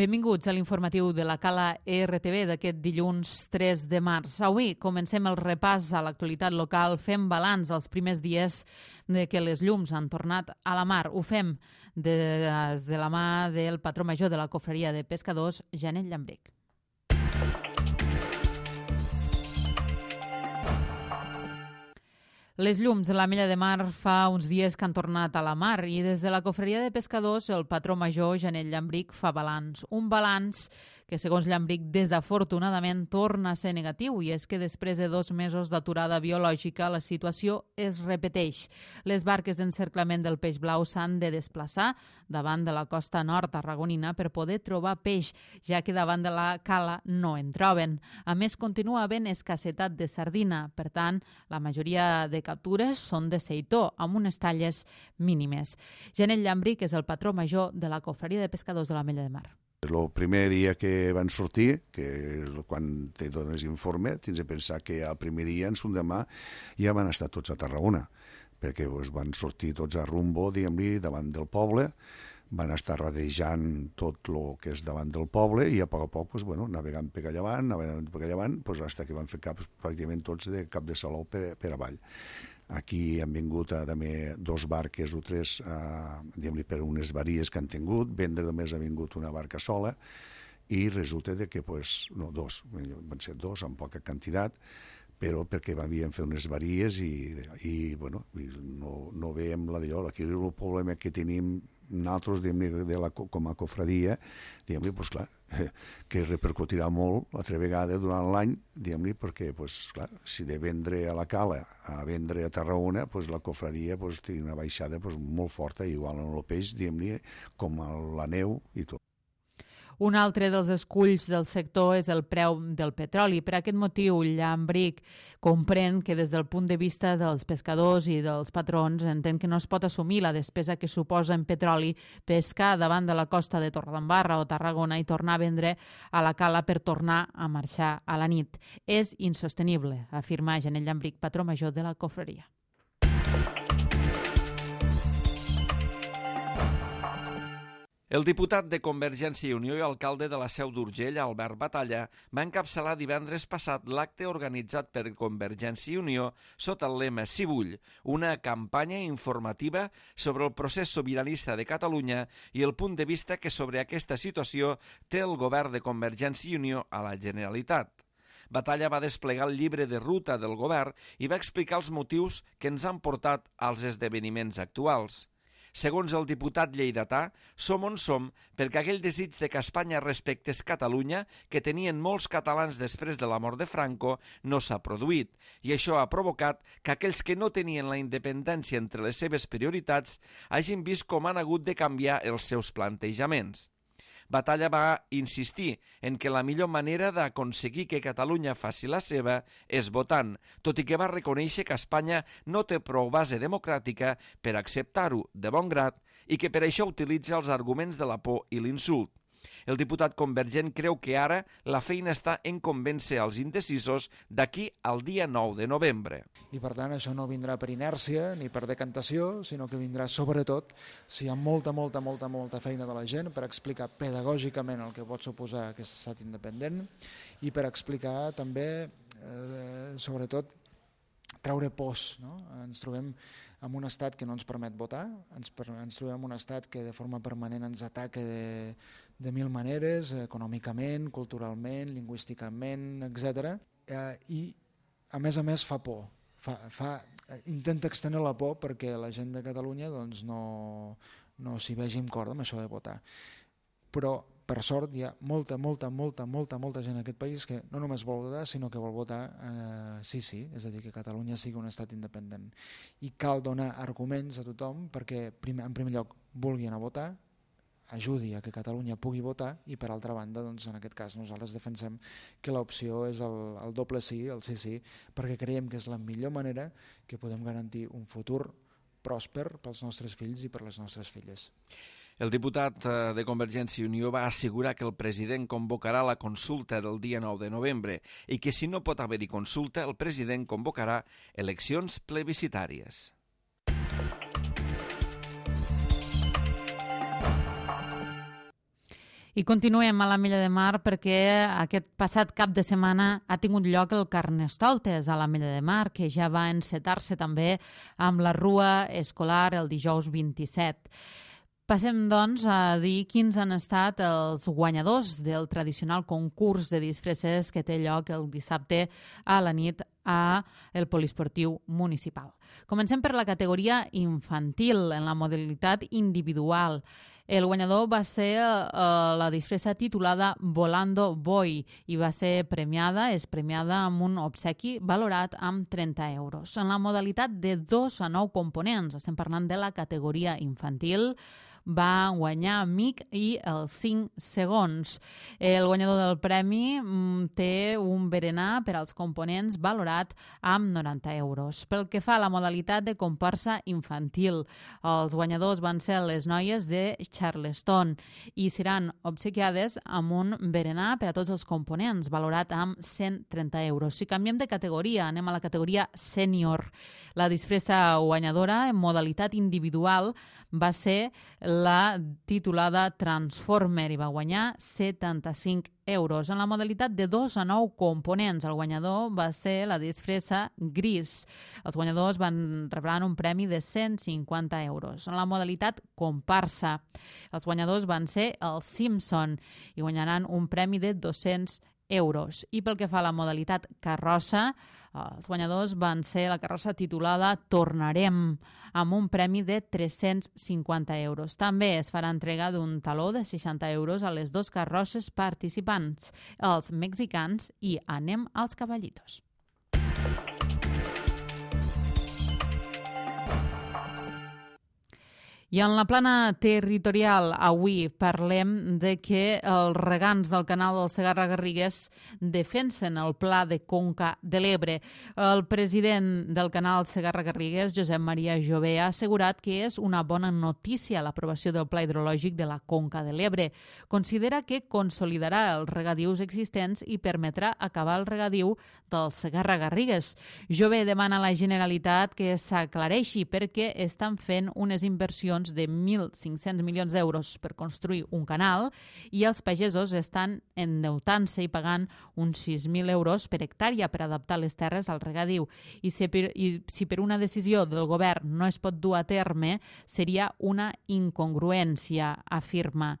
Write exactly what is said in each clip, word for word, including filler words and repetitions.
Benvinguts a l'informatiu de la Cala E R T V d'aquest dilluns tres de març. Avui comencem el repàs a l'actualitat local, fem balanç als primers dies de que les llums han tornat a la mar. Ho fem des de la mà del patró major de la Cofreria de Pescadors, Janet Llambric. Les llums de la Mella de Mar fa uns dies que han tornat a la mar i des de la Cofreria de Pescadors el patró major, Janet Llambric, fa balanç. Un balanç que, segons Llambric, desafortunadament torna a ser negatiu i és que després de dos mesos d'aturada biològica la situació es repeteix. Les barques d'encerclament del peix blau s'han de desplaçar davant de la costa nord tarragonina per poder trobar peix, ja que davant de la cala no en troben. A més, continua havent escassetat de sardina, per tant, la majoria de captures són de seitó, amb unes talles mínimes. Janet Llambric és el patró major de la Cofreria de Pescadors de la Mella de Mar. El primer dia que van sortir, que és quan te dones informe, tens de pensar que el primer dia, en son demà, ja van estar tots a Tarragona, perquè pues, van sortir tots a rumbo, diguem-li, davant del poble, van estar radejant tot el que és davant del poble i a poc a poc, pues, bueno, navegant per allà avant, navegant per allà avant, pues, fins que van fer cap, pràcticament tots de cap de saló per, per avall. Aquí han vingut a, també dos barques o tres eh, per unes varies que han tingut, vendre només ha vingut una barca sola i resulta de que, pues, no, dos, van ser dos amb poca quantitat, però perquè havien fet unes varies i, i bueno, no, no veiem la d'allò. Aquí el problema que tenim nosaltres, de la, com a cofradia, diguem-li, pues, clar, que repercutirà molt l'altra vegada durant l'any, diguem-li, perquè, pues, clar, si de vendre a la cala a vendre a Tarragona, pues, la cofradia pues, té una baixada pues, molt forta, igual en el peix, diguem-li, com la neu i tot. Un altre dels esculls del sector és el preu del petroli. Per aquest motiu, Llambric comprèn que des del punt de vista dels pescadors i dels patrons entén que no es pot assumir la despesa que suposa en petroli pescar davant de la costa de Torredembarra o Tarragona i tornar a vendre a la cala per tornar a marxar a la nit. És insostenible, afirma Janet Llambric, patró major de la Cofreria. El diputat de Convergència i Unió i alcalde de la Seu d'Urgell, Albert Batalla, va encapçalar divendres passat l'acte organitzat per Convergència i Unió sota el lema Sí vull, una campanya informativa sobre el procés sobiranista de Catalunya i el punt de vista que sobre aquesta situació té el govern de Convergència i Unió a la Generalitat. Batalla va desplegar el llibre de ruta del govern i va explicar els motius que ens han portat als esdeveniments actuals. Segons el diputat lleidatà, som on som perquè aquell desig de que Espanya respectés Catalunya que tenien molts catalans després de la mort de Franco no s'ha produït i això ha provocat que aquells que no tenien la independència entre les seves prioritats hagin vist com han hagut de canviar els seus plantejaments. Batalla va insistir en que la millor manera d'aconseguir que Catalunya faci la seva és votant, tot i que va reconèixer que Espanya no té prou base democràtica per acceptar-ho de bon grat i que per això utilitza els arguments de la por i l'insult. El diputat convergent creu que ara la feina està en convèncer els indecisos d'aquí al dia nou de novembre. I per tant això no vindrà per inèrcia ni per decantació, sinó que vindrà sobretot si hi ha molta, molta, molta, molta feina de la gent per explicar pedagògicament el que pot suposar aquest estat independent i per explicar també, eh, sobretot, treure pors. No? Ens trobem en un estat que no ens permet votar, ens, per, ens trobem en un estat que de forma permanent ens ataca de, de mil maneres, econòmicament, culturalment, lingüísticament, etcètera. Eh, I a més a més fa por, fa, fa, intenta extenir la por perquè la gent de Catalunya doncs, no, no s'hi vegi amb cor amb això de votar. Però per sort hi ha molta, molta, molta, molta, molta gent en aquest país que no només vol votar, sinó que vol votar eh, sí, sí, és a dir, que Catalunya sigui un estat independent. I cal donar arguments a tothom perquè, primer, en primer lloc, vulgui anar a votar, ajudi a que Catalunya pugui votar i, per altra banda, doncs, en aquest cas, nosaltres defensem que l'opció és el, el doble sí, el sí, sí, perquè creiem que és la millor manera que podem garantir un futur pròsper pels nostres fills i per les nostres filles. El diputat de Convergència i Unió va assegurar que el president convocarà la consulta del dia nou de novembre i que si no pot haver-hi consulta, el president convocarà eleccions plebiscitàries. I continuem a l'Ametlla de Mar perquè aquest passat cap de setmana ha tingut lloc el Carnestoltes a l'Ametlla de Mar, que ja va encetar-se també amb la rua escolar el dijous vint-i-set. Passem, doncs, a dir quins han estat els guanyadors del tradicional concurs de disfresses que té lloc el dissabte a la nit a el poliesportiu municipal. Comencem per la categoria infantil, en la modalitat individual. El guanyador va ser uh, la disfressa titulada Volando Boy i va ser premiada, és premiada amb un obsequi valorat amb trenta euros. En la modalitat de dos a nou components, estem parlant de la categoria infantil, va guanyar Mic i els cinc segons. El guanyador del premi mm, té un berenar per als components valorat amb noranta euros. Pel que fa a la modalitat de comparsa infantil, els guanyadors van ser les noies de Charleston i seran obsequiades amb un berenar per a tots els components valorat amb cent trenta euros. Si canviem de categoria, anem a la categoria sènior. La disfressa guanyadora en modalitat individual va ser la titulada Transformer i va guanyar setanta-cinc euros. En la modalitat de dos a nou components, el guanyador va ser la disfressa gris. Els guanyadors van rebran un premi de cent cinquanta euros. En la modalitat comparsa, els guanyadors van ser els Simpson i guanyaran un premi de dos-cents euros. I pel que fa a la modalitat carrossa, els guanyadors van ser la carrossa titulada Tornarem, amb un premi de tres-cents cinquanta euros. També es farà entrega d'un taló de seixanta euros a les dues carrosses participants, els mexicans i Anem als Caballitos. I en la plana territorial avui parlem de que els regants del canal del Segarra-Garrigues defensen el pla de conca de l'Ebre. El president del canal Segarra-Garrigues, Josep Maria Jové, ha assegurat que és una bona notícia l'aprovació del pla hidrològic de la conca de l'Ebre. Considera que consolidarà els regadius existents i permetrà acabar el regadiu del Segarra-Garrigues. Jové demana a la Generalitat que s'aclareixi perquè estan fent unes inversions de mil cinc-cents milions d'euros per construir un canal i els pagesos estan endeutant-se i pagant uns sis mil euros per hectàrea per adaptar les terres al regadiu. I si, per, i si per una decisió del govern no es pot dur a terme, seria una incongruència, afirma.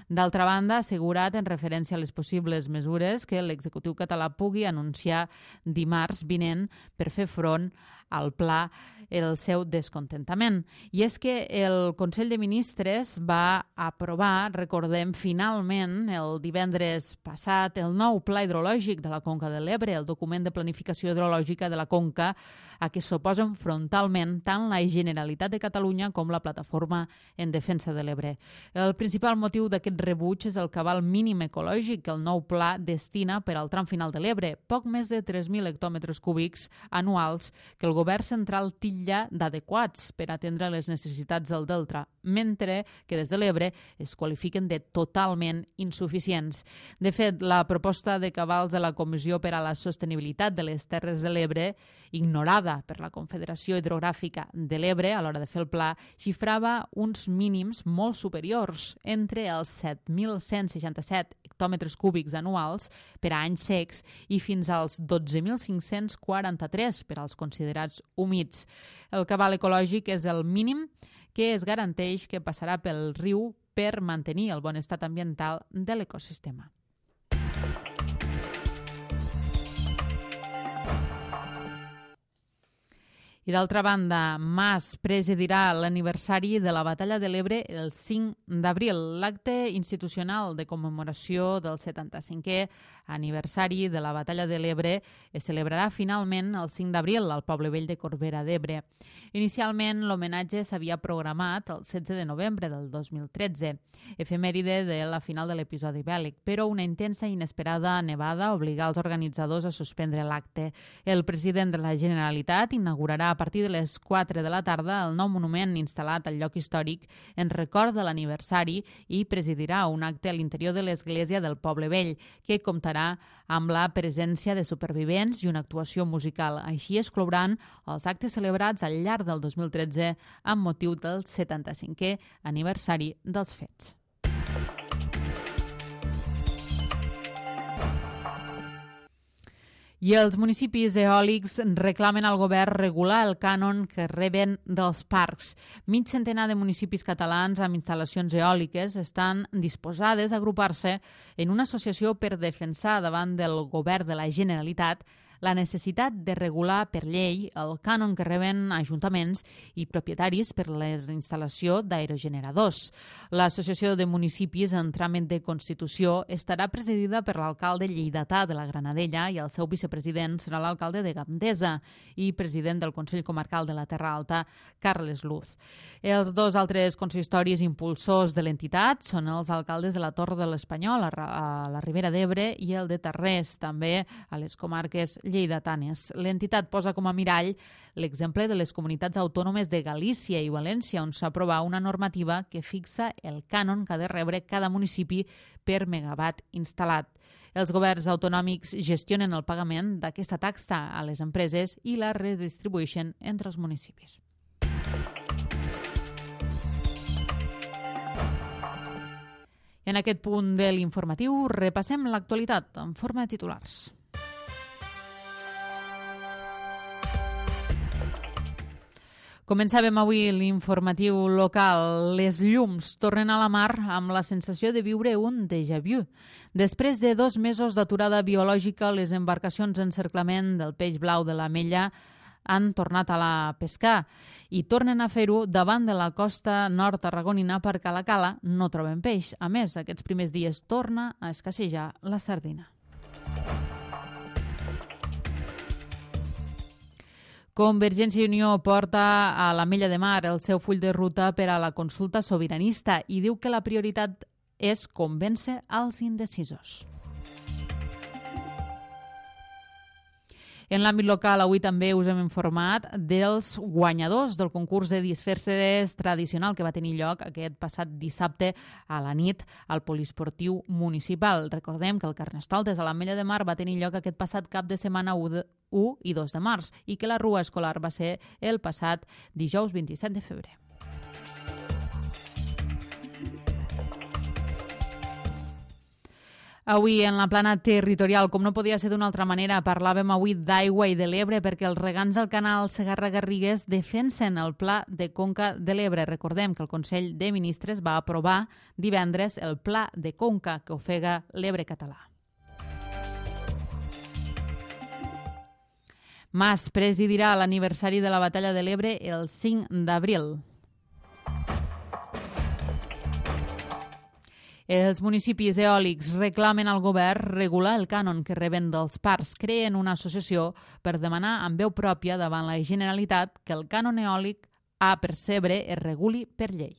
D'altra banda, ha assegurat en referència a les possibles mesures que l'executiu català pugui anunciar dimarts vinent per fer front al pla el seu descontentament. I és que el Consell de Ministres va aprovar, recordem, finalment el divendres passat, el nou pla hidrològic de la Conca de l'Ebre, el document de planificació hidrològica de la Conca, a què s'oposen frontalment tant la Generalitat de Catalunya com la Plataforma en Defensa de l'Ebre. El principal motiu d'aquest rebuig és el cabal mínim ecològic que el nou pla destina per al tram final de l'Ebre, poc més de tres mil hectòmetres cúbics anuals que el govern central titlla d'adequats per atendre les necessitats del delta, mentre que des de l'Ebre es qualifiquen de totalment insuficients. De fet, la proposta de cabals de la Comissió per a la Sostenibilitat de les Terres de l'Ebre, ignorada per la Confederació Hidrogràfica de l'Ebre a l'hora de fer el pla, xifrava uns mínims molt superiors, entre els set mil cent seixanta-set hectòmetres cúbics anuals per a anys secs i fins als dotze mil cinc-cents quaranta-tres per als considerats humits. El cabal ecològic és el mínim que es garanteix que passarà pel riu per mantenir el bon estat ambiental de l'ecosistema. I d'altra banda, Mas presidirà l'aniversari de la Batalla de l'Ebre el cinc d'abril. L'acte institucional de commemoració del setanta-cinquè aniversari de la Batalla de l'Ebre es celebrarà finalment el cinc d'abril al Poble Vell de Corbera d'Ebre. Inicialment, l'homenatge s'havia programat el setze de novembre del dos mil tretze, efemèride de la final de l'episodi bèl·lic, però una intensa i inesperada nevada obligà els organitzadors a suspendre l'acte. El president de la Generalitat inaugurarà a partir de les quatre de la tarda el nou monument instal·lat al lloc històric en record de l'aniversari i presidirà un acte a l'interior de l'església del Poble Vell, que comptarà amb la presència de supervivents i una actuació musical. Així es clouran els actes celebrats al llarg del dos mil tretze amb motiu del setanta-cinquè aniversari dels fets. I els municipis eòlics reclamen al govern regular el cànon que reben dels parcs. Mig centenar de municipis catalans amb instal·lacions eòliques estan disposades a agrupar-se en una associació per defensar davant del govern de la Generalitat la necessitat de regular per llei el cànon que reben ajuntaments i propietaris per l'instal·lació d'aerogeneradors. L'Associació de Municipis en tràmit de Constitució estarà presidida per l'alcalde lleidatà de la Granadella i el seu vicepresident serà l'alcalde de Gandesa i president del Consell Comarcal de la Terra Alta, Carles Luz. Els dos altres consistoris impulsors de l'entitat són els alcaldes de la Torre de l'Espanyol, a la Ribera d'Ebre, i el de Tarrés, també a les comarques lleidatanes. L'entitat posa com a mirall l'exemple de les comunitats autònomes de Galícia i València, on s'aprova una normativa que fixa el cànon que ha de rebre cada municipi per megawatt instal·lat. Els governs autonòmics gestionen el pagament d'aquesta taxa a les empreses i la redistribueixen entre els municipis. En aquest punt de l'informatiu repassem l'actualitat en forma de titulars. Començàvem avui l'informatiu local. Les llums tornen a la mar amb la sensació de viure un déjà vu. Després de dos mesos d'aturada biològica, les embarcacions d'encerclament del peix blau de l'Amella han tornat a la pescar i tornen a fer-ho davant de la costa nord tarragonina perquè a la cala no troben peix. A més, aquests primers dies torna a escassejar la sardina. Convergència i Unió porta a l'Ametlla de Mar el seu full de ruta per a la consulta sobiranista i diu que la prioritat és convèncer els indecisos. En l'àmbit local, avui també us hem informat dels guanyadors del concurs de disfresses tradicional que va tenir lloc aquest passat dissabte a la nit al poliesportiu municipal. Recordem que el Carnestoltes a l'Ametlla de Mar va tenir lloc aquest passat cap de setmana u i dos de març i que la rua escolar va ser el passat dijous vint-i-set de febrer. Avui en la plana territorial, com no podia ser d'una altra manera, parlàvem avui d'aigua i de l'Ebre perquè els regants del canal Segarra-Garrigues defensen el Pla de Conca de l'Ebre. Recordem que el Consell de Ministres va aprovar divendres el Pla de Conca que ofega l'Ebre català. Mas presidirà l'aniversari de la Batalla de l'Ebre el cinc d'abril. Els municipis eòlics reclamen al govern regular el cànon que reben dels parcs. Creen una associació per demanar amb veu pròpia davant la Generalitat que el cànon eòlic a percebre es reguli per llei.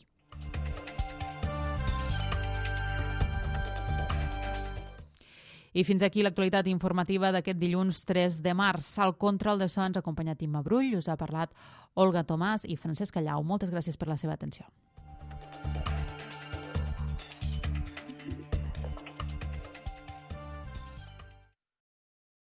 I fins aquí l'actualitat informativa d'aquest dilluns tres de març. Al control de so ens ha acompanyat Imma Brull, us ha parlat Olga Tomàs i Francesc Callau. Moltes gràcies per la seva atenció.